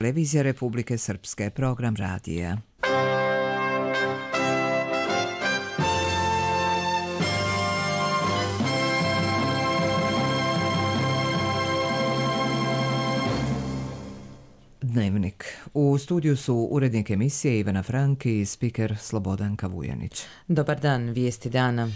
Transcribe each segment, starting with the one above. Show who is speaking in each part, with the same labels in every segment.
Speaker 1: Televizija Republike Srpske, program radija. Dnevnik. U studiju su urednik emisije Ivana Frank i spiker Slobodan Kavujanić.
Speaker 2: Dobar dan, vijesti dana.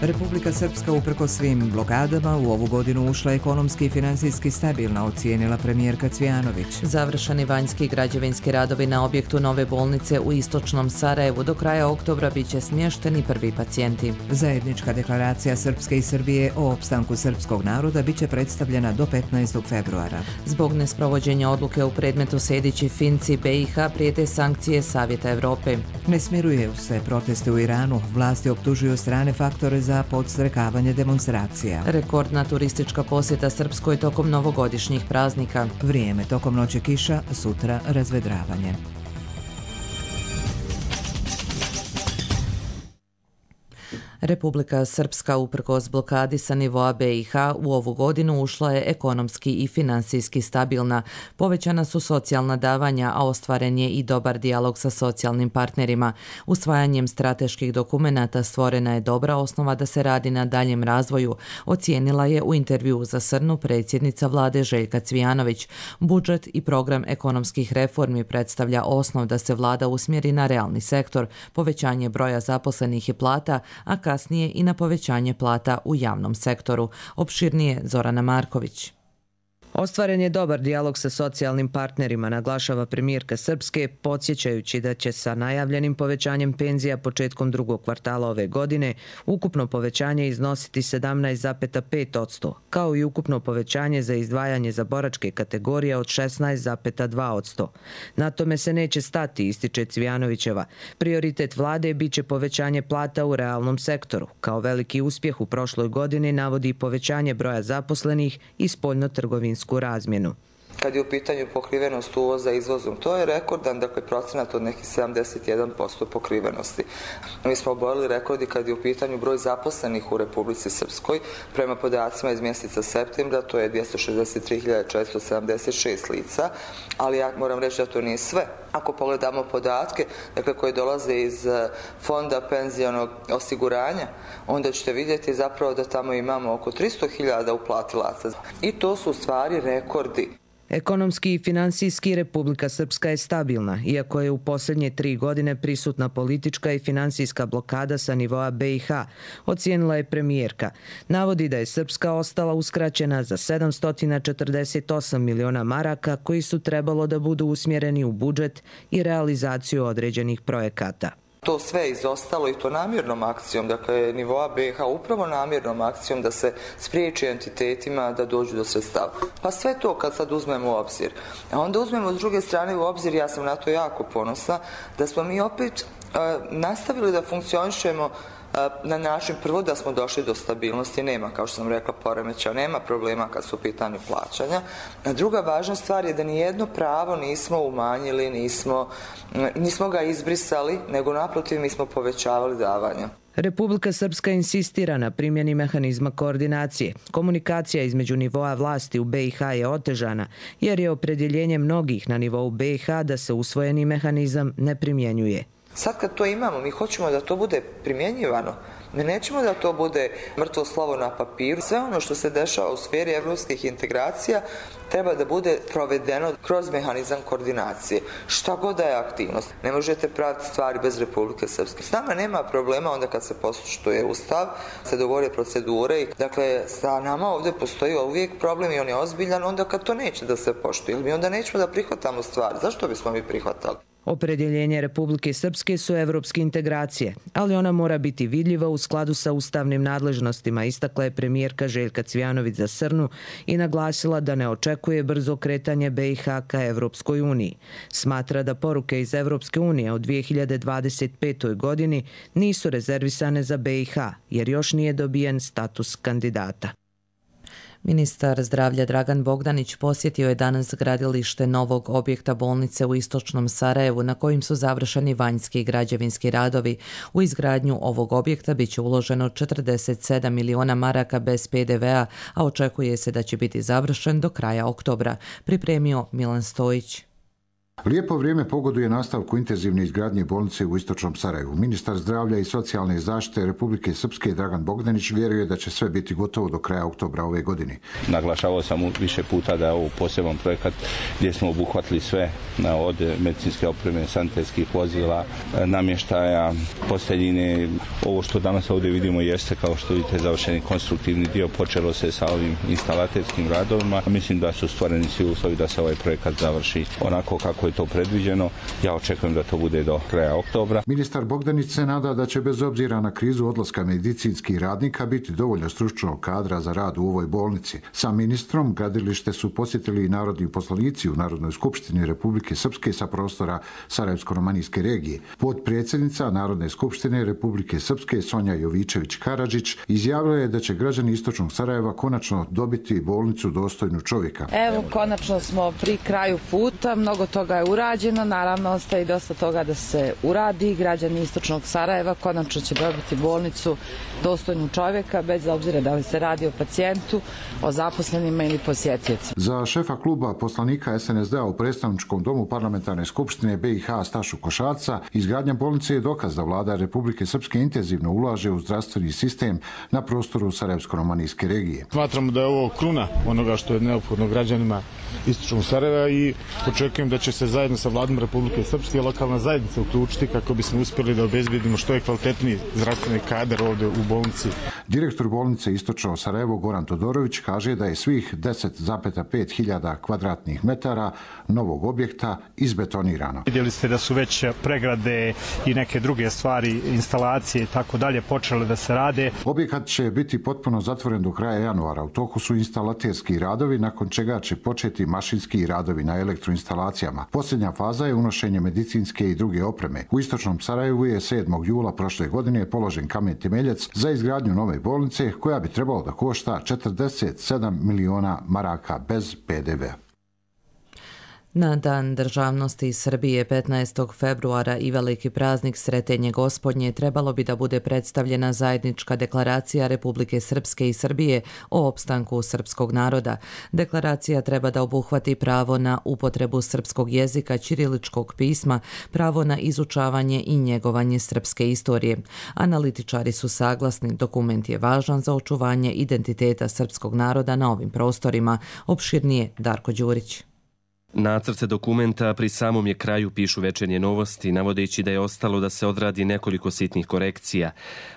Speaker 1: Republika Srpska uprkos svim blokadama u ovu godinu ušla ekonomski i finansijski stabilna, ocijenila premijerka Cvijanović.
Speaker 2: Završeni vanjski građevinski radovi na objektu nove bolnice u istočnom Sarajevu. Do kraja oktobra biće smješteni prvi pacijenti.
Speaker 1: Zajednička deklaracija Srpske i Srbije o opstanku srpskog naroda biće predstavljena do 15. februara.
Speaker 2: Zbog nesprovođenja odluke u predmetu Sejdić i Finci, BiH prijete sankcije Savjeta Evrope.
Speaker 1: Ne smiruju se proteste u Iranu. Vlasti optužuju strane faktore za podstrekavanje demonstracija.
Speaker 2: Rekordna turistička posjeta Srpskoj tokom novogodišnjih praznika.
Speaker 1: Vrijeme tokom noći kiša, sutra razvedravanje.
Speaker 2: Republika Srpska uprkos blokadi sa nivoa BiH u ovu godinu ušla je ekonomski i finansijski stabilna. Povećana su socijalna davanja, a ostvaren je i dobar dijalog sa socijalnim partnerima. Usvajanjem strateških dokumenata stvorena je dobra osnova da se radi na daljem razvoju, ocijenila je u intervjuu za Srnu predsjednica vlade Željka Cvijanović. Budžet i program ekonomskih reformi predstavlja osnov da se vlada usmjeri na realni sektor, povećanje broja zaposlenih i plata, a kasnije i na povećanje plata u javnom sektoru. Opširnije Zorana Marković.
Speaker 3: Ostvaren je dobar dijalog sa socijalnim partnerima, naglašava premijerka Srpske, podsjećajući da će sa najavljenim povećanjem penzija početkom drugog kvartala ove godine ukupno povećanje iznositi 17,5%, kao i ukupno povećanje za izdvajanje za boračke kategorije od 16,2%. Na tome se neće stati, ističe Cvijanovićeva. Prioritet vlade biće povećanje plata u realnom sektoru. Kao veliki uspjeh u prošloj godini navodi povećanje broja zaposlenih i spoljno-trgovinsku razmjenu.
Speaker 4: Kad je u pitanju pokrivenost uvoza izvozom, to je rekordan, procenat od nekih 71% pokrivenosti. Mi smo oborili rekordi kad je u pitanju broj zaposlenih u Republici Srpskoj. Prema podacima iz mjeseca septembra, to je 263.476 lica, ali ja moram reći da to nije sve. Ako pogledamo podatke koje dolaze iz fonda penzionog osiguranja, onda ćete vidjeti zapravo da tamo imamo oko 300.000 uplatilaca. I to su u stvari rekordi.
Speaker 3: Ekonomski i finansijski Republika Srpska je stabilna, iako je u posljednje 3 godine prisutna politička i finansijska blokada sa nivoa BiH, ocijenila je premijerka. Navodi da je Srpska ostala uskraćena za 748 miliona maraka koji su trebalo da budu usmjereni u budžet i realizaciju određenih projekata.
Speaker 4: To sve izostalo i to namjernom akcijom, nivoa BiH upravo namjernom akcijom da se spriječi entitetima da dođu do sredstava. Pa sve to kad sad uzmemo u obzir. A onda uzmemo s druge strane u obzir, ja sam na to jako ponosna, da smo mi opet nastavili da funkcionišemo na način prvo da smo došli do stabilnosti, nema, kao što sam rekla, poremećaja, nema problema kad su u pitanju plaćanja. A druga važna stvar je da nijedno pravo nismo umanjili, nismo ga izbrisali, nego naprotiv mi smo povećavali davanja.
Speaker 3: Republika Srpska insistira na primjeni mehanizma koordinacije. Komunikacija između nivoa vlasti u BiH je otežana, jer je opredjeljenje mnogih na nivou BiH da se usvojeni mehanizam ne primjenjuje.
Speaker 4: Sad kad to imamo, mi hoćemo da to bude primjenjivano. Mi nećemo da to bude mrtvo slovo na papiru. Sve ono što se dešava u sferi evropskih integracija treba da bude provedeno kroz mehanizam koordinacije. Šta god da je aktivnost. Ne možete praviti stvari bez Republike Srpske. S nama nema problema onda kad se poštuje Ustav, se dogovore procedure. Sa nama ovdje postoji uvijek problem i on je ozbiljan onda kad to neće da se poštuje. Mi onda nećemo da prihvatamo stvari. Zašto bismo mi prihvatali?
Speaker 3: Opredjeljenje Republike Srpske su evropske integracije, ali ona mora biti vidljiva u skladu sa ustavnim nadležnostima, istakla je premijerka Željka Cvijanović za Srnu i naglasila da ne očekuje brzo kretanje BiH ka Evropskoj uniji. Smatra da poruke iz Evropske unije u 2025. godini nisu rezervisane za BiH, jer još nije dobijen status kandidata.
Speaker 2: Ministar zdravlja Dragan Bogdanić posjetio je danas gradilište novog objekta bolnice u istočnom Sarajevu na kojim su završeni vanjski i građevinski radovi. U izgradnju ovog objekta biće uloženo 47 miliona maraka bez PDV-a, a očekuje se da će biti završen do kraja oktobra, pripremio Milan Stojić.
Speaker 5: Lijepo vrijeme pogoduje nastavku intenzivne izgradnje bolnice u istočnom Sarajevu. Ministar zdravlja i socijalne zaštite Republike Srpske Dragan Bogdanić vjeruje da će sve biti gotovo do kraja oktobra ove godine.
Speaker 6: Naglašavao sam više puta da je ovo poseban projekat gdje smo obuhvatili sve od medicinske opreme, sanitetskih vozila, namještaja, posteljine. Ovo što danas ovdje vidimo jeste, kao što vidite, završeni konstruktivni dio. Počelo se sa ovim instalaterskim radovima. Mislim da su stvoreni svi uslovi da se ovaj projekat završi onako kako je to predviđeno. Ja očekujem da to bude do kraja oktobra.
Speaker 5: Ministar Bogdanić se nada da će bez obzira na krizu odlaska medicinskih radnika biti dovoljno stručnog kadra za rad u ovoj bolnici. Sa ministrom gradilište su posjetili i narodni poslanici u Narodnoj skupštini Republike Srpske sa prostora Sarajevsko-romanijske regije. Potpredsjednica Narodne skupštine Republike Srpske Sonja Jovičević-Karadžić izjavila je da će građani istočnog Sarajeva konačno dobiti bolnicu dostojnu čovjeka.
Speaker 7: Evo, konačno smo pri kraju puta, mnogo toga je urađeno, naravno ostaje dosta toga da se uradi. Građani istočnog Sarajeva konačno će dobiti bolnicu dostojnu čovjeka, bez obzira da li se radi o pacijentu, o zaposlenima ili posjetioci.
Speaker 5: Za šefa kluba poslanika SNSD-a u predstavničkom domu Parlamentarne skupštine BiH Stašu Košarca, izgradnja bolnice je dokaz da vlada Republike Srpske intenzivno ulaže u zdravstveni sistem na prostoru Sarajevsko-romanijske regije.
Speaker 8: Smatramo da je ovo kruna onoga što je neophodno građanima istočnog Sarajeva i očekujem da će se zajedno sa vladom Republike Srpske i lokalna zajednica uključiti kako bismo uspjeli da obezbedimo što je kvalitetniji zdravstveni kadar ovdje u bolnici.
Speaker 5: Direktor bolnice Istočno Sarajevo Goran Todorović kaže da je svih 10,5 hiljada kvadratnih metara novog objekta izbetonirano.
Speaker 9: Vidjeli ste da su već pregrade i neke druge stvari, instalacije i tako dalje počele da se rade.
Speaker 5: Objekat će biti potpuno zatvoren do kraja januara. U toku su instalaterski radovi, nakon čega će početi mašinski radovi na elektroinstalacijama. Posljednja faza je unošenje medicinske i druge opreme. U istočnom Sarajevu je 7. jula prošle godine položen kamen temeljac za izgradnju nove bolnice koja bi trebalo da košta 47 miliona maraka bez PDV-a.
Speaker 2: Na Dan državnosti Srbije 15. februara i veliki praznik Sretenje Gospodnje trebalo bi da bude predstavljena zajednička deklaracija Republike Srpske i Srbije o opstanku srpskog naroda. Deklaracija treba da obuhvati pravo na upotrebu srpskog jezika, ćiriličkog pisma, pravo na izučavanje i njegovanje srpske istorije. Analitičari su saglasni, dokument je važan za očuvanje identiteta srpskog naroda na ovim prostorima. Opširnije Darko Đurić.
Speaker 10: Nacrt dokumenta pri samom je kraju, pišu Večernje novosti, navodeći da je ostalo da se odradi nekoliko sitnih korekcija.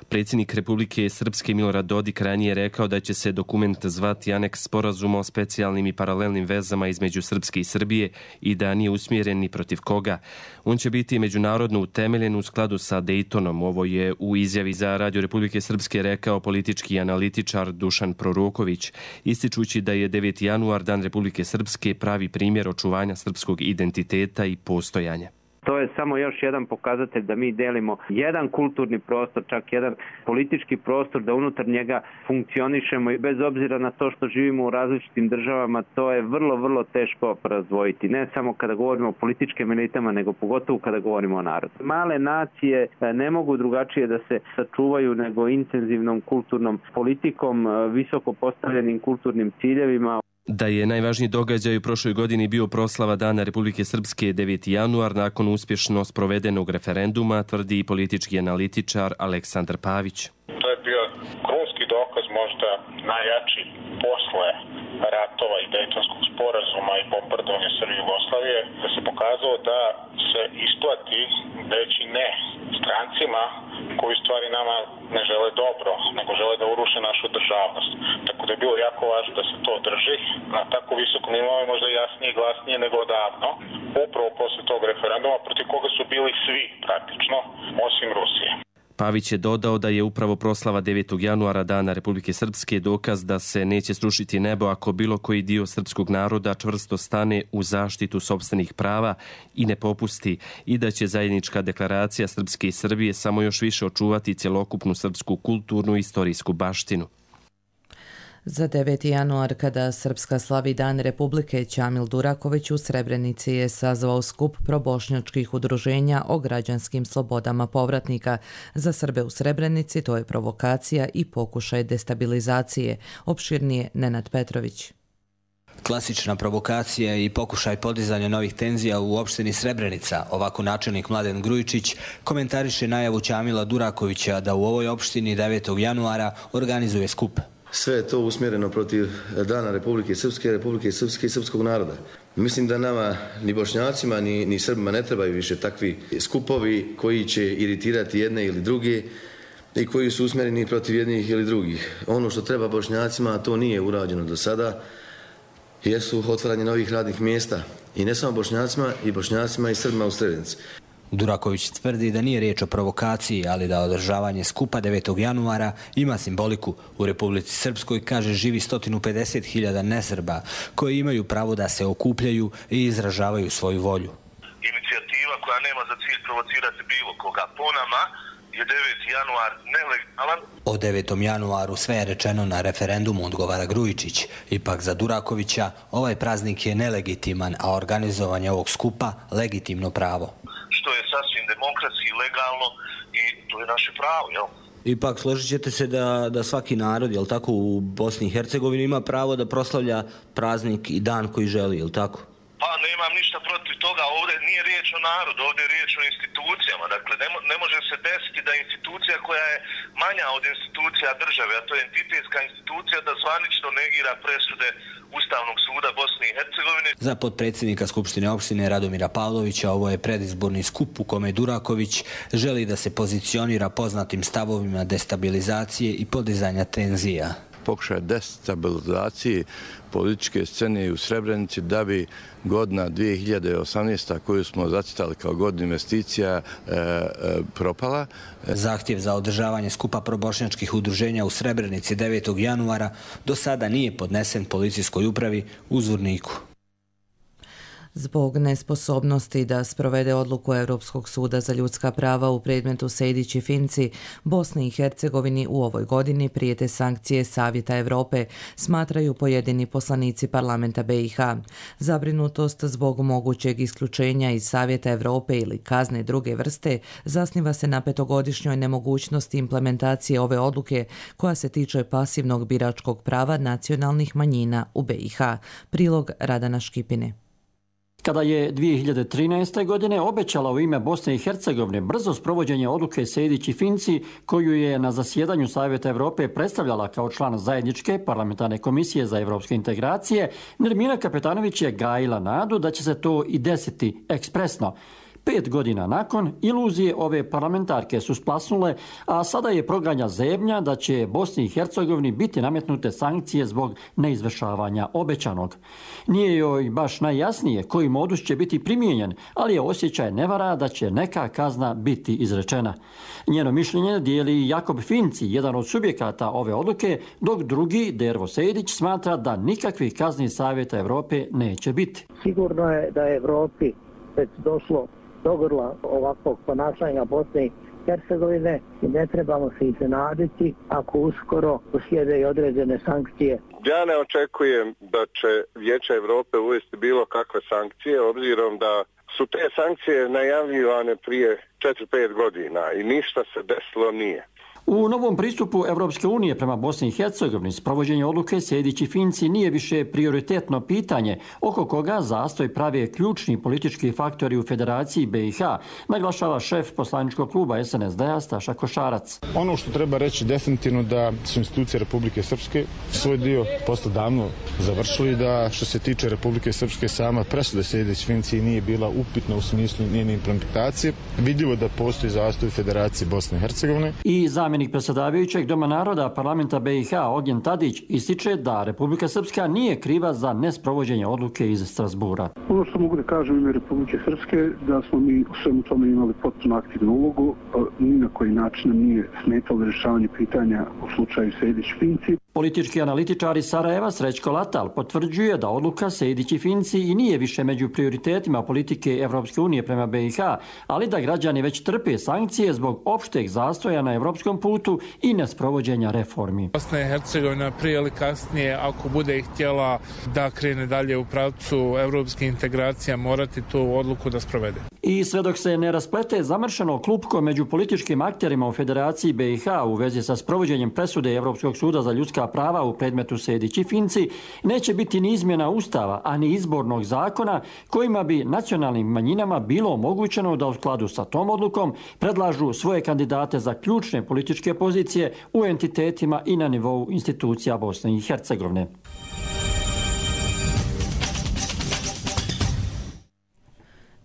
Speaker 10: Predsjednik Republike Srpske Milorad Dodik ranije rekao da će se dokument zvati Aneks sporazuma o specijalnim i paralelnim vezama između Srpske i Srbije i da nije usmjeren ni protiv koga. On će biti međunarodno utemeljen u skladu sa Dejtonom. Ovo je u izjavi za Radio Republike Srpske rekao politički analitičar Dušan Proroković, ističući da je 9. januar Dan Republike Srpske pravi primjer očuvanja srpskog identiteta i postojanja.
Speaker 11: To je samo još jedan pokazatelj da mi delimo jedan kulturni prostor, čak jedan politički prostor, da unutar njega funkcionišemo i bez obzira na to što živimo u različitim državama, to je vrlo, vrlo teško razdvojiti. Ne samo kada govorimo o političkim elitama, nego pogotovo kada govorimo o narodu. Male nacije ne mogu drugačije da se sačuvaju nego intenzivnom kulturnom politikom, visoko postavljenim kulturnim ciljevima.
Speaker 10: Da je najvažniji događaj u prošloj godini bio proslava Dana Republike Srpske 9. januar nakon uspješno sprovedenog referenduma, tvrdi i politički analitičar Aleksandar Pavić.
Speaker 12: To je bio krunski dokaz, možda najjači posle ratova i Dejtonskog sporazuma i bombardovanja Srbije i Jugoslavije, da se pokazalo da se isplati reći ne strancima koji stvari nama ne žele dobro, nego žele da uruše našu državnost. Tako da je bilo jako važno da se to drži na tako visokom nivou, možda jasnije i glasnije nego odavno, upravo posle tog referenduma, protiv koga su bili svi praktično, osim Rusije.
Speaker 10: Pavić je dodao da je upravo proslava 9. januara Dana Republike Srpske dokaz da se neće srušiti nebo ako bilo koji dio srpskog naroda čvrsto stane u zaštitu sopstvenih prava i ne popusti i da će zajednička deklaracija Srpske i Srbije samo još više očuvati cjelokupnu srpsku kulturnu i istorijsku baštinu.
Speaker 2: Za 9. januar, kada Srpska slavi Dan Republike, Ćamil Duraković u Srebrenici je sazvao skup probošnjačkih udruženja o građanskim slobodama povratnika. Za Srbe u Srebrenici to je provokacija i pokušaj destabilizacije. Opširnije Nenad Petrović.
Speaker 13: Klasična provokacija i pokušaj podizanja novih tenzija u opštini Srebrenica. Ovako načelnik Mladen Grujičić komentariše najavu Ćamila Durakovića da u ovoj opštini 9. januara organizuje skup.
Speaker 14: Sve je to usmjereno protiv Dana Republike Srpske i srpskog naroda. Mislim da nama, ni Bošnjacima, ni Srbima ne trebaju više takvi skupovi koji će iritirati jedne ili druge i koji su usmjereni protiv jednih ili drugih. Ono što treba Bošnjacima, a to nije urađeno do sada, jesu otvaranje novih radnih mjesta. I ne samo Bošnjacima i Srbima u Srebrenici.
Speaker 13: Duraković tvrdi da nije riječ o provokaciji, ali da održavanje skupa 9. januara ima simboliku. U Republici Srpskoj, kaže, živi 150.000 nesrba koji imaju pravo da se okupljaju i izražavaju svoju volju.
Speaker 15: Inicijativa koja nema za cilj provocirati bilo koga po nama je 9. januar nelegalan.
Speaker 13: O 9. januaru sve je rečeno na referendumu, odgovara Grujičić. Ipak za Durakovića ovaj praznik je nelegitiman, a organizovanje ovog skupa legitimno pravo.
Speaker 15: Što je sasvim demokratski, legalno i to je naše pravo, jel?
Speaker 13: Ipak složit ćete se da svaki narod, jel tako, u Bosni i Hercegovini ima pravo da proslavlja praznik i dan koji želi, jel tako?
Speaker 15: Pa nemam ništa protiv toga, ovdje nije riječ o narodu, ovdje je riječ o institucijama. Dakle, ne može se desiti da institucija koja je manja od institucija države, a to je entitetska institucija, da zvanično negira presude Ustavnog suda Bosne i Hercegovine.
Speaker 13: Za potpredsjednika Skupštine opštine Radomira Pavlovića ovo je predizborni skup u kome Duraković želi da se pozicionira poznatim stavovima destabilizacije i podizanja tenzija.
Speaker 16: Pokušaj destabilizacije političke scene u Srebrenici da bi godina 2018. koju smo zacitali kao godinu investicija propala.
Speaker 13: Zahtjev za održavanje skupa probošnjačkih udruženja u Srebrenici 9. januara do sada nije podnesen policijskoj upravi u Zvorniku.
Speaker 2: Zbog nesposobnosti da sprovede odluku Europskog suda za ljudska prava u predmetu Sejdić i Finci, Bosni i Hercegovini u ovoj godini prijete sankcije Savjeta Evrope, smatraju pojedini poslanici parlamenta BiH. Zabrinutost zbog mogućeg isključenja iz Savjeta Evrope ili kazne druge vrste zasniva se na petogodišnjoj nemogućnosti implementacije ove odluke koja se tiče pasivnog biračkog prava nacionalnih manjina u BiH. Prilog Radana Škipine.
Speaker 17: Kada je 2013. godine obećala u ime Bosne i Hercegovine brzo sprovođenje odluke Sejdić i Finci, koju je na zasjedanju Savjeta Evrope predstavljala kao član zajedničke parlamentarne komisije za evropske integracije, Nermina Kapetanović je gajila nadu da će se to i desiti ekspresno. 5 godina nakon, iluzije ove parlamentarke su splasnule, a sada je proganja zebnja da će Bosni i Hercegovini biti nametnute sankcije zbog neizvršavanja obećanog. Nije joj baš najjasnije koji modus će biti primijenjen, ali je osjećaj nevara da će neka kazna biti izrečena. Njeno mišljenje dijeli Jakob Finci, jedan od subjekata ove odluke, dok drugi, Dervo Sejdić, smatra da nikakvih kazni Savjeta Evrope neće biti.
Speaker 18: Sigurno je da je Evropi već došlo do grla ovakvog ponašanja Bosne i Hercegovine i ne trebamo se iznenaditi ako uskoro uslijede i određene sankcije.
Speaker 12: Ja ne očekujem da će Vijeće Evrope uvesti bilo kakve sankcije, obzirom da su te sankcije najavljivane prije 4-5 godina i ništa se desilo nije.
Speaker 17: U novom pristupu Evropske unije prema Bosni i Hercegovini sprovođenje odluke Sejdić i Finci nije više prioritetno pitanje oko koga zastoj prave ključni politički faktori u Federaciji BiH, naglašava šef poslaničkog kluba SNSD-a Staša Košarac.
Speaker 8: Ono što treba reći definitivno da su institucije Republike Srpske svoj dio posle davno završili, da što se tiče Republike Srpske sama presuda Sejdić i Finci nije bila upitna u smislu njene implementacije. Vidljivo da postoji zastoj Federacije Bosne i Hercegovine.
Speaker 17: I zamjenik predsjedavajućeg Doma naroda parlamenta BiH Ognjen Tadić ističe da Republika Srpska nije kriva za nesprovođenje odluke iz Strasbura.
Speaker 19: Ono što mogu da kažem u ime Republike Srpske da smo mi u svemu tome imali potpuno aktivnu ulogu, ni na koji način nije smetalo rješavanje pitanja u slučaju Sejdić-Finci.
Speaker 17: Politički analitičar iz Sarajeva Srećko Latal potvrđuje da odluka Sejdić i Finci i nije više među prioritetima politike Evropske unije prema BiH, ali da građani već trpe sankcije zbog opšteg zastoja na evropskom putu i nesprovođenja reformi.
Speaker 20: Bosna i Hercegovina prije ili kasnije, ako bude htjela da krene dalje u pravcu evropske integracije, morati tu odluku da sprovede.
Speaker 17: I sve dok se ne rasplete zamršeno klupko među političkim akterima u Federaciji BiH u vezi sa sprovođenjem presude Evropskog suda za ljudska prava u predmetu Sejdić i Finci, neće biti ni izmjena Ustava, a ni izbornog zakona kojima bi nacionalnim manjinama bilo omogućeno da u skladu sa tom odlukom predlažu svoje kandidate za ključne političke pozicije u entitetima i na nivou institucija Bosne i Hercegovine.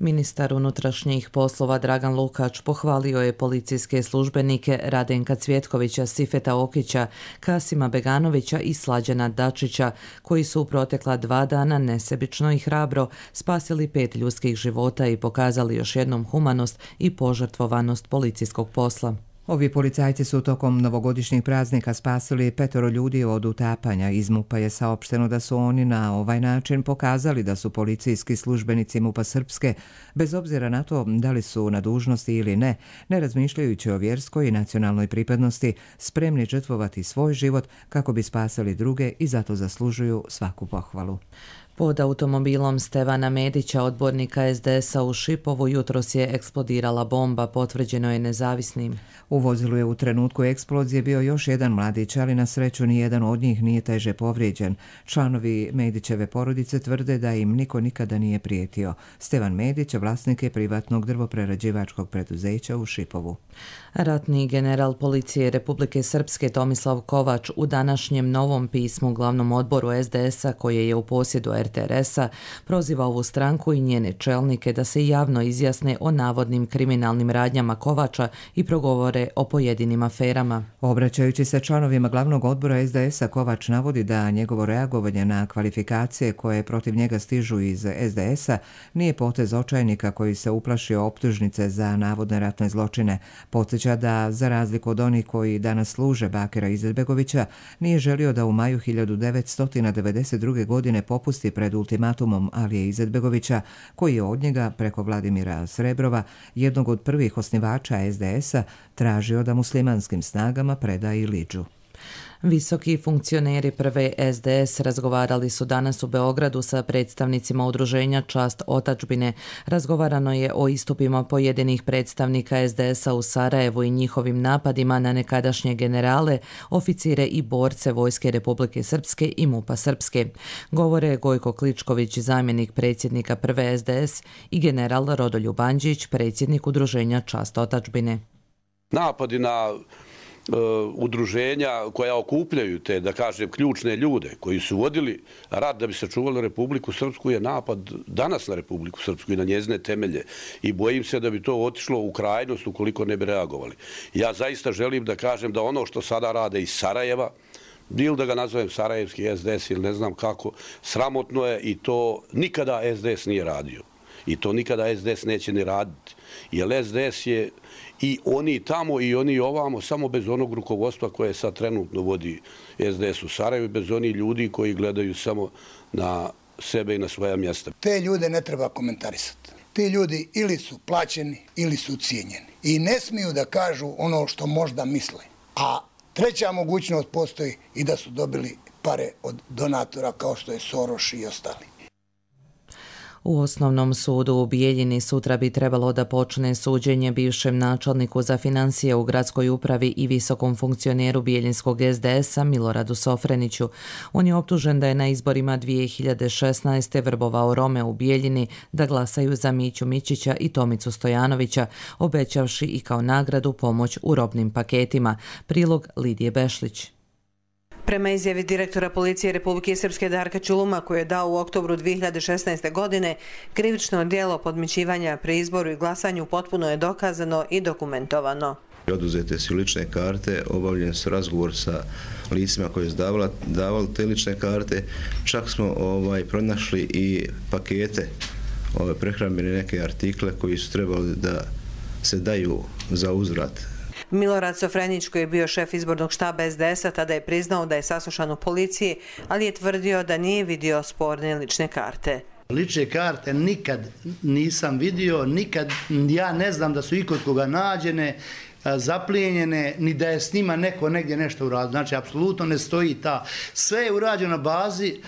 Speaker 2: Ministar unutrašnjih poslova Dragan Lukač pohvalio je policijske službenike Radenka Cvjetkovića, Sifeta Okića, Kasima Beganovića i Slađana Dačića, koji su u protekla 2 dana nesebično i hrabro spasili 5 ljudskih života i pokazali još jednom humanost i požrtvovanost policijskog posla.
Speaker 1: Ovi policajci su tokom novogodišnjih praznika spasili 5 ljudi od utapanja. Iz MUP-a je saopšteno da su oni na ovaj način pokazali da su policijski službenici MUP-a Srpske, bez obzira na to da li su na dužnosti ili ne, ne razmišljajući o vjerskoj i nacionalnoj pripadnosti, spremni žrtvovati svoj život kako bi spasali druge i zato zaslužuju svaku pohvalu.
Speaker 2: Pod automobilom Stevana Medića, odbornika SDS-a u Šipovu, jutros je eksplodirala bomba, potvrđeno je nezavisnim.
Speaker 1: U vozilu je u trenutku eksplozije bio još jedan mladić, ali na sreću nijedan od njih nije teže povrijeđen. Članovi Medićeve porodice tvrde da im niko nikada nije prijetio. Stevan Medić vlasnik je privatnog drvoprerađivačkog preduzeća u Šipovu.
Speaker 2: Ratni general policije Republike Srpske Tomislav Kovač u današnjem novom pismu glavnom odboru SDS-a koje je u posjedu RTRS-a proziva ovu stranku i njene čelnike da se javno izjasne o navodnim kriminalnim radnjama Kovača i progovore o pojedinim aferama.
Speaker 1: Obraćajući se članovima glavnog odbora SDS-a, Kovač navodi da njegovo reagovanje na kvalifikacije koje protiv njega stižu iz SDS-a nije potez očajnika koji se uplašio optužnice za navodne ratne zločine. Podsjeća da, za razliku od onih koji danas služe Bakira Izetbegovića, nije želio da u maju 1992. godine popusti pred ultimatumom Alije Izetbegovića, koji je od njega preko Vladimira Srebrova, jednog od prvih osnivača SDS-a, tražio da muslimanskim snagama preda i Lidžu.
Speaker 2: Visoki funkcioneri prve SDS razgovarali su danas u Beogradu sa predstavnicima udruženja Čast otadžbine. Razgovarano je o istupima pojedinih predstavnika SDS-a u Sarajevu i njihovim napadima na nekadašnje generale, oficire i borce Vojske Republike Srpske i MUP-a Srpske. Govore Gojko Kličković, zamjenik predsjednika prve SDS, i general Rodoljub Andžić, predsjednik udruženja Čast otadžbine.
Speaker 21: Napadi na udruženja koja okupljaju te, da kažem, ključne ljude koji su vodili rat da bi sačuvali Republiku Srpsku je napad danas na Republiku Srpsku i na njezine temelje i bojim se da bi to otišlo u krajnost ukoliko ne bi reagovali. Ja zaista želim da kažem da ono što sada rade iz Sarajeva, bilo da ga nazovem sarajevski SDS ili ne znam kako, sramotno je i to nikada SDS nije radio. I to nikada SDS neće ni raditi. Jer SDS je i oni tamo i oni ovamo, samo bez onog rukovodstva koje sad trenutno vodi SDS u Sarajevu, bez onih ljudi koji gledaju samo na sebe i na svoja mjesta.
Speaker 22: Te ljude ne treba komentarisati. Ti ljudi ili su plaćeni ili su cijenjeni. I ne smiju da kažu ono što možda misle. A treća mogućnost postoji i da su dobili pare od donatora kao što je Soros i ostali.
Speaker 2: U Osnovnom sudu u Bijeljini sutra bi trebalo da počne suđenje bivšem načelniku za financije u gradskoj upravi i visokom funkcioneru bijeljinskog SDS-a Miloradu Sofreniću. On je optužen da je na izborima 2016. vrbovao Rome u Bijeljini da glasaju za Miću Mićića i Tomicu Stojanovića, obećavši i kao nagradu pomoć u robnim paketima. Prilog Lidije Bešlić.
Speaker 23: Prema izjavi direktora policije Republike Srpske Darka Čuluma, koji je dao u oktobru 2016. godine, krivično djelo podmićivanja pri izboru i glasanju potpuno je dokazano i dokumentovano.
Speaker 24: Oduzete su lične karte, obavljen su razgovor sa licima koji su davali te lične karte, čak smo pronašli i pakete, prehrambene neke artikle koji su trebali da se daju za uzvrat.
Speaker 23: Milorad Sofrenić, koji je bio šef izbornog štaba SDS-a, tada je priznao da je saslušan u policiji, ali je tvrdio da nije vidio sporne lične karte.
Speaker 3: Lične karte nikad nisam vidio, nikad ja ne znam da su ikod koga nađene, zaplijenjene, ni da je s njima neko negdje nešto uradio. Znači, apsolutno ne stoji ta. Sve je urađeno na bazi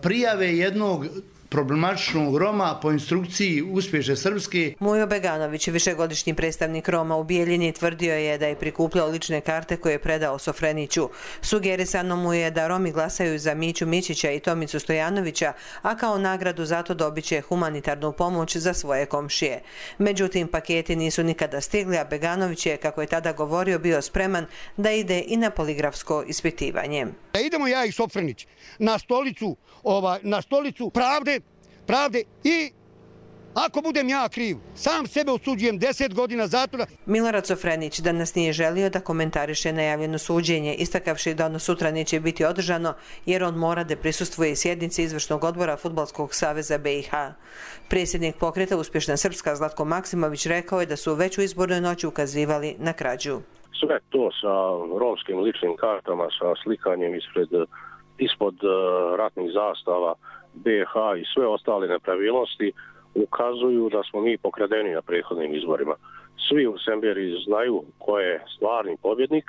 Speaker 3: prijave jednog problematičnog Roma po instrukciji uspješne Srpske.
Speaker 23: Mujo Beganović, višegodišnji predstavnik Roma u Bijeljini, tvrdio je da je prikupljao lične karte koje je predao Sofreniću. Sugerisano mu je da Romi glasaju za Miću Mićića i Tomicu Stojanovića, a kao nagradu zato dobit će humanitarnu pomoć za svoje komšije. Međutim, paketi nisu nikada stigli, a Beganović je, kako je tada govorio, bio spreman da ide i na poligrafsko ispitivanje.
Speaker 4: Idemo ja i Sofrenić na stolicu pravde i ako budem ja kriv, sam sebe osuđujem 10 godina zatvora.
Speaker 23: Milorad Sofrenić danas nije želio da komentariše najavljeno suđenje, istakavši da ono sutra neće biti održano jer on mora da prisustvuje sjednici izvršnog odbora Fudbalskog saveza BiH. Predsjednik pokreta Uspješna Srpska Zlatko Maksimović rekao je da su već u izbornoj noći ukazivali na krađu.
Speaker 6: Sve to sa romskim ličnim kartama, sa slikanjem ispod ratnih zastava BiH i sve ostale nepravilnosti ukazuju da smo mi pokradeni na prethodnim izborima. Svi u Semberi znaju ko je stvarni pobjednik.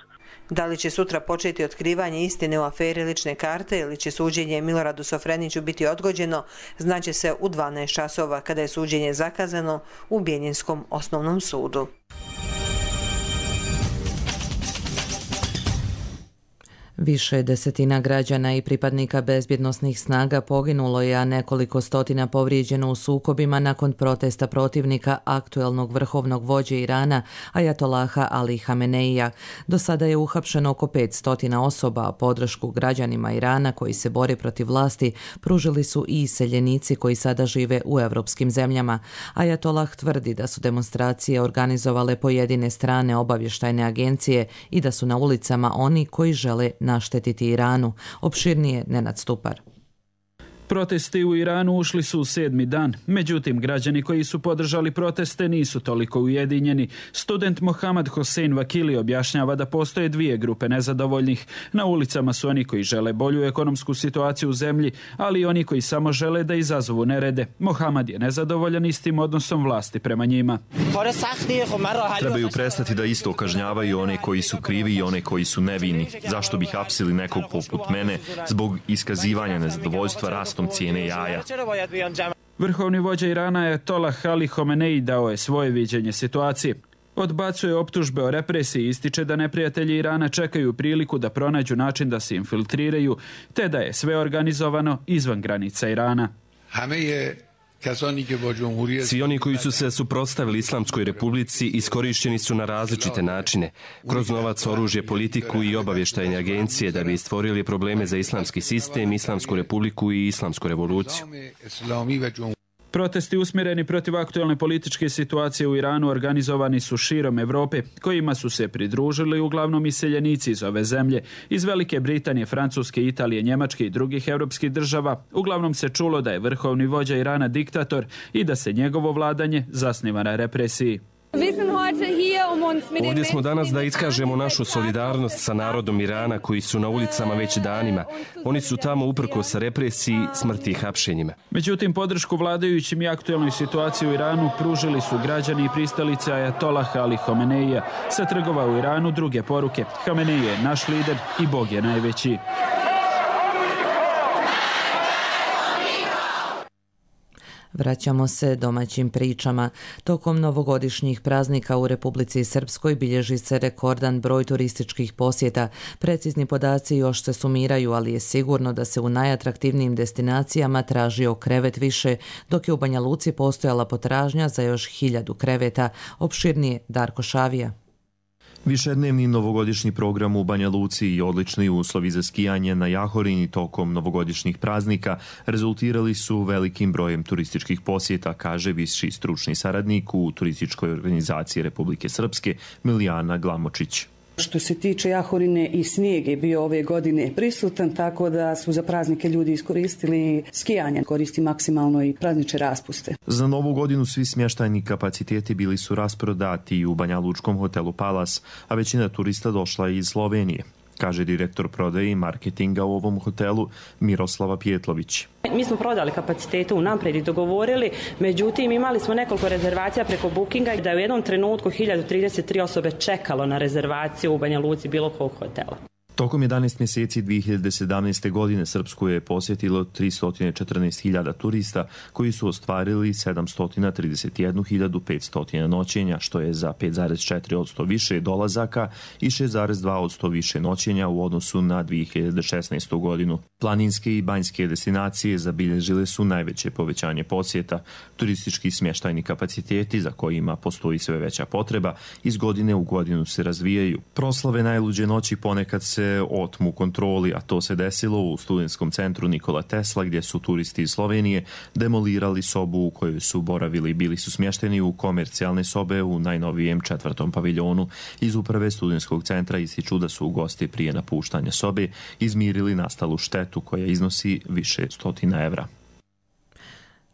Speaker 23: Da li će sutra početi otkrivanje istine u aferi lične karte ili će suđenje Miloradu Sofreniću biti odgođeno, znaće se u 12 časova kada je suđenje zakazano u Bijeljinskom osnovnom sudu.
Speaker 2: Više desetina građana i pripadnika bezbjednosnih snaga poginulo je, a nekoliko stotina povrijeđeno u sukobima nakon protesta protivnika aktuelnog vrhovnog vođe Irana, ajatolaha Ali Hameneija. Do sada je uhapšeno oko 500 osoba, a podršku građanima Irana koji se bore protiv vlasti pružili su i iseljenici koji sada žive u evropskim zemljama. Ajatolah tvrdi da su demonstracije organizovale pojedine strane obavještajne agencije i da su na ulicama oni koji žele naštetiti Iranu. Opširnije Nenad Stupar.
Speaker 7: Protesti u Iranu ušli su u 7. dan, međutim građani koji su podržali proteste nisu toliko ujedinjeni. Student Mohamed Hossein Vakili objašnjava da postoje dvije grupe nezadovoljnih. Na ulicama su oni koji žele bolju ekonomsku situaciju u zemlji, ali i oni koji samo žele da izazovu nerede. Mohamed je nezadovoljan istim odnosom vlasti prema njima.
Speaker 25: Trebaju prestati da isto kažnjavaju one koji su krivi i one koji su nevini. Zašto bi hapsili nekog poput mene zbog iskazivanja nezadovoljstva rastom cijene jaja?
Speaker 7: Vrhovni vođa Irana ajatolah Ali Homeneji dao je svoje viđenje situacije. Odbacuje optužbe o represiji i ističe da neprijatelji Irana čekaju priliku da pronađu način da se infiltriraju, te da je sve organizovano izvan granica Irana.
Speaker 25: Svi oni koji su se suprotstavili Islamskoj republici iskorišteni su na različite načine, kroz novac, oružje, politiku i obavještajne agencije da bi stvorili probleme za islamski sistem, Islamsku republiku i Islamsku revoluciju.
Speaker 7: Protesti usmjereni protiv aktualne političke situacije u Iranu organizovani su širom Evrope, kojima su se pridružili uglavnom iseljenici iz ove zemlje, iz Velike Britanije, Francuske, Italije, Njemačke i drugih europskih država. Uglavnom se čulo da je vrhovni vođa Irana diktator i da se njegovo vladanje zasniva na represiji.
Speaker 25: Ovdje smo danas da iskažemo našu solidarnost sa narodom Irana koji su na ulicama već danima. Oni su tamo uprkos represiji, smrti i hapšenjima.
Speaker 7: Međutim, podršku vladajućim i aktualnoj situaciji u Iranu pružili su građani i pristalice ajatolaha Ali Homeneija. Sa trgova u Iranu druge poruke. Hamenej je naš lider i Bog je najveći.
Speaker 2: Vraćamo se domaćim pričama. Tokom novogodišnjih praznika u Republici Srpskoj bilježi se rekordan broj turističkih posjeta. Precizni podaci još se sumiraju, ali je sigurno da se u najatraktivnijim destinacijama tražio krevet više, dok je u Banja Luci postojala potražnja za još 1000 kreveta. Opširnije Darko Šavija.
Speaker 25: Višednevni novogodišnji program u Banja Luci i odlični uslovi za skijanje na Jahorini tokom novogodišnjih praznika rezultirali su velikim brojem turističkih posjeta, kaže viši stručni saradnik u turističkoj organizaciji Republike Srpske Milijana Glamočić.
Speaker 5: Što se tiče Jahorine i snijeg je bio ove godine prisutan, tako da su za praznike ljudi iskoristili skijanje, koristi maksimalno i praznične raspuste.
Speaker 9: Za novu godinu svi smještajni kapaciteti bili su rasprodati u Banjalučkom hotelu Palas, a većina turista došla iz Slovenije, kaže direktor prodaje i marketinga u ovom hotelu Miroslava Pjetlović.
Speaker 10: Mi smo prodali kapacitete unaprijed i dogovorili, međutim imali smo nekoliko rezervacija preko Bookinga da je u jednom trenutku 1033 osobe čekalo na rezervaciju u Banja Luci bilo kog hotela.
Speaker 9: Tokom 11 mjeseci 2017. godine Srpsku je posjetilo 314.000 turista koji su ostvarili 731.500 noćenja, što je za 5,4% više dolazaka i 6,2% više noćenja u odnosu na 2016. godinu. Planinske i banjske destinacije zabilježile su najveće povećanje posjeta. Turistički smještajni kapaciteti, za kojima postoji sve veća potreba, iz godine u godinu se razvijaju. Proslave najluđe noći ponekad se otmu kontroli, a to se desilo u studentskom centru Nikola Tesla, gdje su turisti iz Slovenije demolirali sobu u kojoj su boravili. Bili su smješteni u komercijalne sobe u najnovijem 4. paviljonu. Iz uprave studentskog centra ističu da su gosti prije napuštanja sobe izmirili nastalu štetu koja iznosi više stotina evra.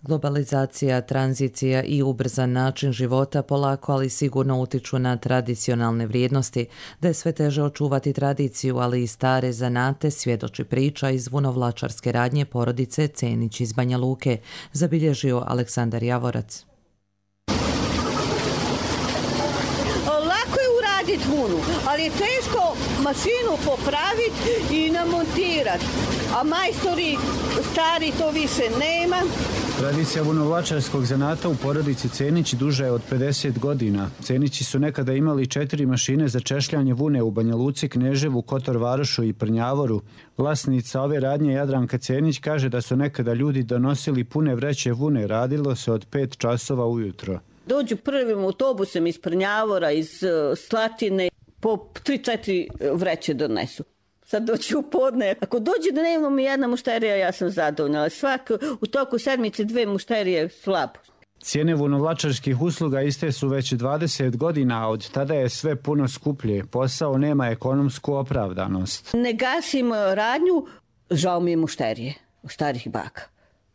Speaker 2: Globalizacija, tranzicija i ubrzan način života polako, ali sigurno utiču na tradicionalne vrijednosti. Da je sve teže očuvati tradiciju, ali i stare zanate, svjedoči priča iz vunovlačarske radnje porodice Cenić iz Banja Luke, zabilježio Aleksandar Javorac.
Speaker 11: Lako je uraditi vunu, ali je teško mašinu popraviti i namontirati, a majstori stari to više nema.
Speaker 14: Tradicija vunovlačarskog zanata u porodici Cenić duža je od 50 godina. Cenići su nekada imali 4 mašine za češljanje vune u Banja Luci, Kneževu, Kotor Varošu i Prnjavoru. Vlasnica ove radnje Jadranka Cenić kaže da su nekada ljudi donosili pune vreće vune, radilo se od 5 časova ujutro.
Speaker 11: Dođu prvim autobusem iz Prnjavora, iz Slatine, po 3-4 vreće donesu. Sad doći u podne. Ako dođe da nemamo mi jedna mušterija, ja sam zadovoljna. Ali svako u toku sedmice 2 mušterije slabo.
Speaker 14: Cijene vunovlačarskih usluga iste su već 20 godina, a od tada je sve puno skuplje. Posao nema ekonomsku opravdanost.
Speaker 11: Ne gasimo radnju, žao mi je mušterije, starih baka.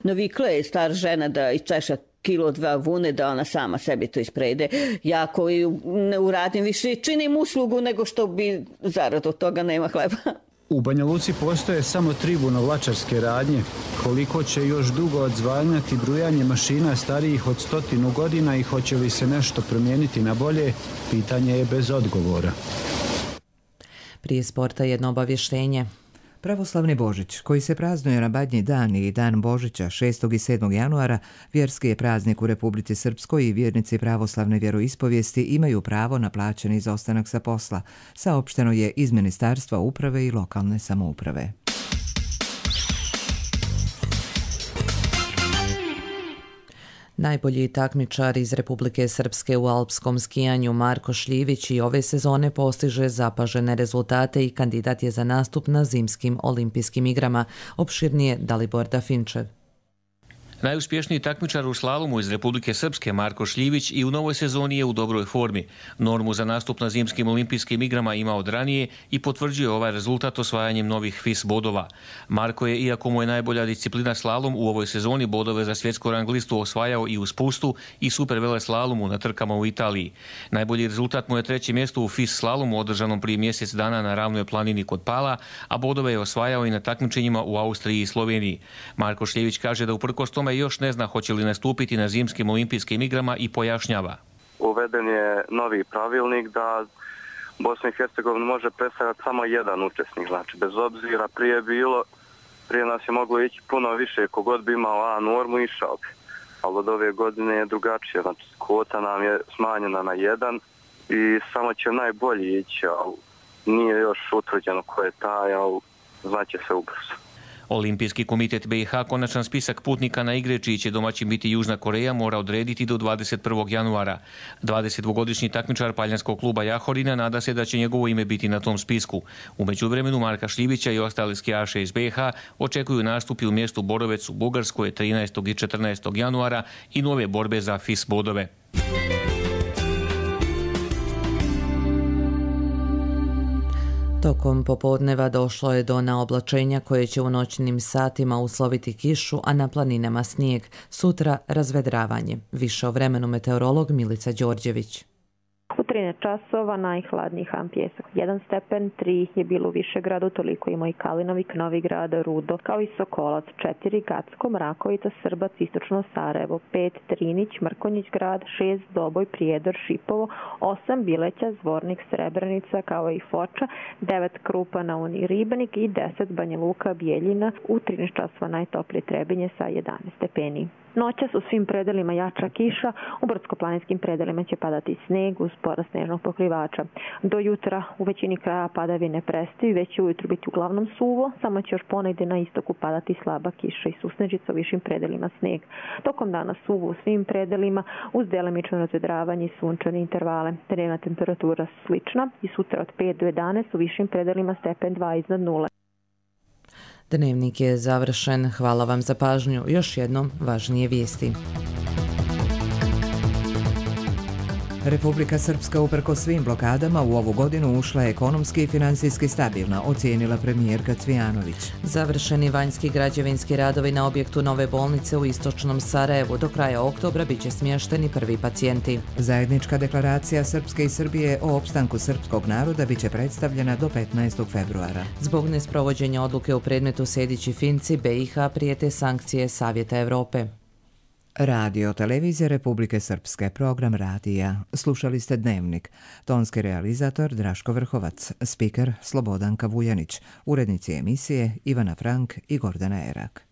Speaker 11: Navikla je star žena da iščeša 1-2 vune, da ona sama sebi to isprede. Ja koji ne uradim više, činim uslugu nego što bi zarad od toga nema hleba.
Speaker 14: U Banja Luci postoje samo 3 vunovlačarske radnje. Koliko će još dugo odzvanjati brujanje mašina starijih od 100 godina i hoće li se nešto promijeniti na bolje, pitanje je bez odgovora.
Speaker 2: Prije sporta jedno obavještenje.
Speaker 1: Pravoslavni Božić, koji se praznuje na Badnji dan i dan Božića 6. i 7. januara, vjerski je praznik u Republici Srpskoj i vjernici pravoslavne vjeroispovijesti imaju pravo na plaćeni izostanak sa posla. Saopšteno je iz Ministarstva uprave i lokalne samouprave.
Speaker 2: Najbolji takmičar iz Republike Srpske u alpskom skijanju Marko Šljivić i ove sezone postiže zapažene rezultate i kandidat je za nastup na zimskim olimpijskim igrama. Opširnije Dalibor Dafinčev.
Speaker 26: Najuspješniji takmičar u slalomu iz Republike Srpske Marko Šljivić i u novoj sezoni je u dobroj formi. Normu za nastup na zimskim olimpijskim igrama ima od ranije i potvrđuje ovaj rezultat osvajanjem novih FIS bodova. Marko je, iako mu je najbolja disciplina slalom, u ovoj sezoni bodove za svjetsku rang listu osvajao i u spustu i super vele slalomu na trkama u Italiji. Najbolji rezultat mu je 3. mjesto u FIS slalomu održanom prije mjesec dana na ravnoj planini kod Pala, a bodove je osvajao i na takmičenjima u Austriji i Sloveniji. Marko Šljivić kaže da uprkos tome još ne zna hoće li nastupiti na zimskim olimpijskim igrama i pojašnjava.
Speaker 27: Uveden je novi pravilnik da Bosna i Hercegovina može predstavljati samo jedan učesnik. Znači, bez obzira prije nas je moglo ići puno više, kogod bi imao A normu išao bi. Ali od ove godine je drugačije. Znači, kvota nam je smanjena na 1 i samo će najbolji ići, ali nije još utvrđeno ko je taj, ali znaće se ubrzo.
Speaker 26: Olimpijski komitet BiH konačan spisak putnika na igre čiji će domaćin biti Južna Koreja mora odrediti do 21. januara. 22-godišnji takmičar paljanskog kluba Jahorina nada se da će njegovo ime biti na tom spisku. U međuvremenu Marka Šljivića i ostali skijaše iz BiH očekuju nastupi u mjestu Borovec u Bugarskoj 13. i 14. januara i nove borbe za FIS bodove.
Speaker 2: Tokom popodneva došlo je do naoblačenja koje će u noćnim satima usloviti kišu, a na planinama snijeg. Sutra razvedravanje. Više o vremenu meteorolog Milica Đorđević.
Speaker 8: U 13 časova najhladniji Han Pjesak 1 stepen, 3 je bilo u Višegradu, toliko ima i Kalinovik, Novigrad, Rudo, kao i Sokolac, 4 Gacko, Mrakovica, Srbac, Istočno Sarajevo, 5 Trinić, Mrkonjić grad, 6 Doboj, Prijedor, Šipovo, 8 Bileća, Zvornik, Srebrenica, kao i Foča, 9 Krupa na Uni, Ribanik i 10 Banja Luka, Bijeljina, u 13 časova najtoplije Trebinje sa 11 stepeni. Noćas u svim predelima jača kiša, u brdsko-planinskim predelima će padati sneg uz porast snežnog pokrivača. Do jutra u većini kraja padavine prestaju, već će ujutru biti uglavnom suvo, samo će još ponegdje na istoku padati slaba kiša i susnežica, u višim predelima sneg. Tokom dana suvo u svim predelima uz delimično razvedravanje i sunčane intervale. Dnevna temperatura slična i sutra od 5 do 11, u višim predelima stepen 2 iznad 0.
Speaker 2: Dnevnik je završen. Hvala vam za pažnju. Još jednom važnije vijesti.
Speaker 1: Republika Srpska uprkos svim blokadama u ovu godinu ušla je ekonomski i financijski stabilna, ocijenila premijerka Cvijanović.
Speaker 2: Završeni vanjski građevinski radovi na objektu nove bolnice u istočnom Sarajevu. Do kraja oktobra biće smješteni prvi pacijenti.
Speaker 1: Zajednička deklaracija Srpske i Srbije o opstanku srpskog naroda biće predstavljena do 15. februara.
Speaker 2: Zbog nesprovođenja odluke u predmetu Sejdić i Finci, BiH prijete sankcije Savjeta Evrope.
Speaker 1: Radio Televizija Republike Srpske, program radija. Slušali ste Dnevnik. Tonski realizator Draško Vrhovac, spiker Slobodanka Vujanić, urednici emisije Ivana Frank i Gordana Erak.